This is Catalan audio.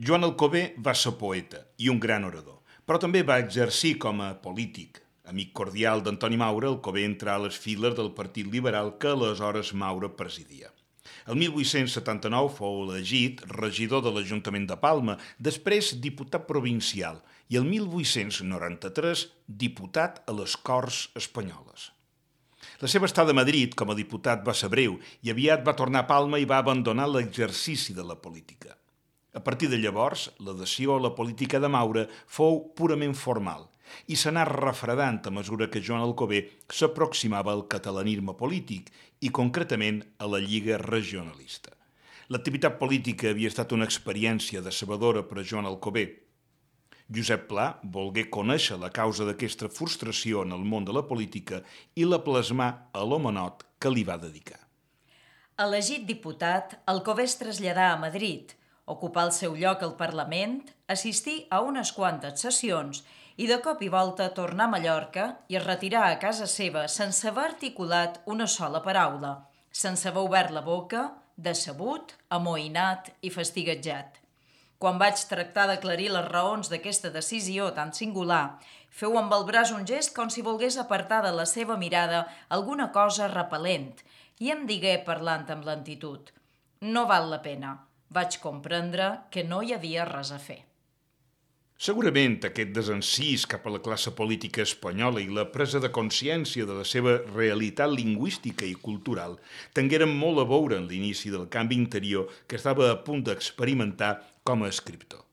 Joan Alcover va ser poeta i un gran orador, però també va exercir com a polític. Amic cordial d'Antoni Maura, Alcover entrà a les files del Partit Liberal que aleshores Maura presidia. El 1879 fou elegit regidor de l'Ajuntament de Palma, després diputat provincial i el 1893 diputat a les Corts Espanyoles. La seva estada a Madrid com a diputat va ser breu i aviat va tornar a Palma i va abandonar l'exercici de la política. A partir de llavors, l'adhesió a la política de Maura fou purament formal i s'anà refredant a mesura que Joan Alcover s'aproximava al catalanisme polític i concretament a la Lliga Regionalista. L'activitat política havia estat una experiència decebedora per a Joan Alcover. Josep Pla volgué conèixer la causa d'aquesta frustració en el món de la política i la plasmà a l'homenot que li va dedicar. Elegit diputat, Alcover es traslladà a Madrid, ocupà el seu lloc al Parlament, assistí a unes quantes sessions i de cop i volta tornà a Mallorca i es retirà a casa seva sense haver articulat una sola paraula, sense haver obert la boca, decebut, amoïnat i fastiguejat. Quan vaig tractar d'aclarir les raons d'aquesta decisió tan singular, feu amb el braç un gest com si volgués apartar de la seva mirada alguna cosa repel·lent i em digué parlant amb lentitud: «No val la pena». Vaig comprendre que no hi havia res a fer. Segurament aquest desencís cap a la classe política espanyola i la presa de consciència de la seva realitat lingüística i cultural tingueren molt a veure en l'inici del canvi interior que estava a punt d'experimentar com a escriptor.